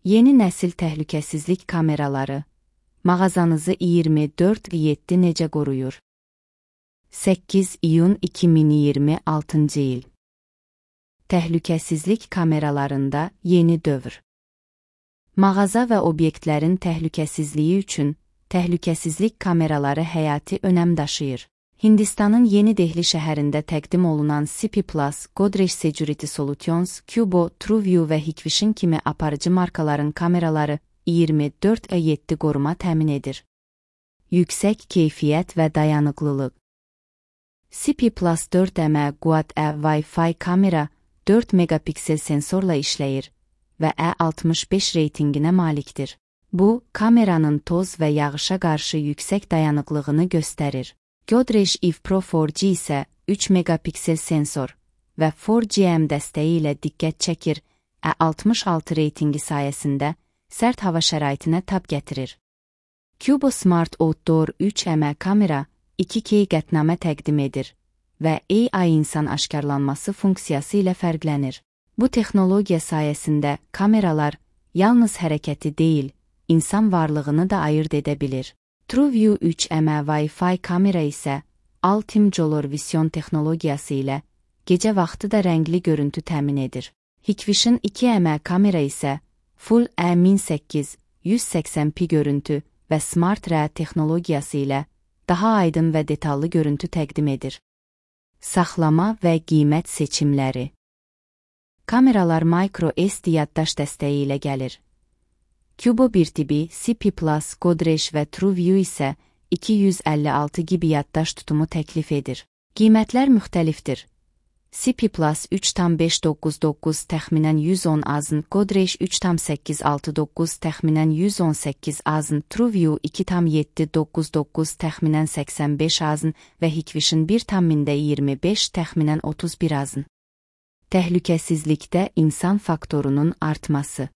Yeni nəsil təhlükəsizlik kameraları mağazanızı 24/7 necə qoruyur? 8 iyun 2026 il. Təhlükəsizlik kameralarında yeni dövr. Mağaza və obyektlərin təhlükəsizliyi üçün təhlükəsizlik kameraları həyati önəm daşıyır. Hindistanın Yeni Dehli şəhərində təqdim olunan CP+, Godrej Security Solutions, Cubo, TrueView və Hikvision kimi aparıcı markaların kameraları 24/7 qoruma təmin edir. Yüksək keyfiyyət və dayanıqlılıq. CP+ 4M Quad-E Wi-Fi kamera 4 megapiksel sensorla işləyir və E65 reytinginə malikdir. Bu, kameranın toz və yağışa qarşı yüksək dayanıqlığını göstərir. Godrej Eve Pro 4G isə 3 megapiksel sensor və 4GM dəstəyi ilə diqqət çəkir, E66 reytingi sayəsində sərt hava şəraitinə tab gətirir. Cubo Smart Outdoor 3M kamera 2K qətnamə təqdim edir və AI insan aşkarlanması funksiyası ilə fərqlənir. Bu texnologiya sayəsində kameralar yalnız hərəkəti deyil, insan varlığını da ayırd edə bilir. TrueView 3M Wi-Fi kamera isə Ultim Vision texnologiyası ilə gecə vaxtı da rəngli görüntü təmin edir. Hikvision 2M kamera isə Full E1008 180p görüntü və Smart RE texnologiyası ilə daha aydın və detallı görüntü təqdim edir. Saxlama və qiymət seçimləri. Kameralar micro SD yaddaş dəstəyi ilə gəlir. Cubo 1 tibi, CP+, Godrej və TrueView isə 256 GB yaddaş tutumu təklif edir. Qiymətlər müxtəlifdir. CP+ 3,599 təxminən 110 azın, Godrej 3,869 təxminən 118 azın, TrueView 2,799 təxminən 85 azın və Hikvision 1,25 təxminən 31 azın. Təhlükəsizlikdə insan faktorunun artması.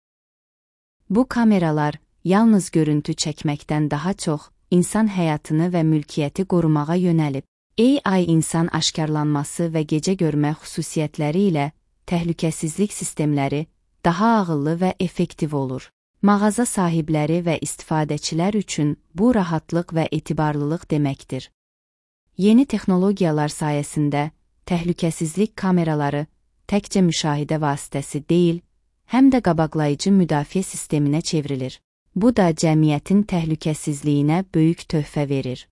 Bu kameralar yalnız görüntü çəkməkdən daha çox insan həyatını və mülkiyyəti qorumağa yönəlib. AI insan aşkarlanması və gecə görmə xüsusiyyətləri ilə təhlükəsizlik sistemləri daha ağıllı və effektiv olur. Mağaza sahibləri və istifadəçilər üçün bu rahatlıq və etibarlılıq deməkdir. Yeni texnologiyalar sayəsində təhlükəsizlik kameraları təkcə müşahidə vasitəsi deyil, həm də qabaqlayıcı müdafiə sisteminə çevrilir. Bu da cəmiyyətin təhlükəsizliyinə böyük töhfə verir.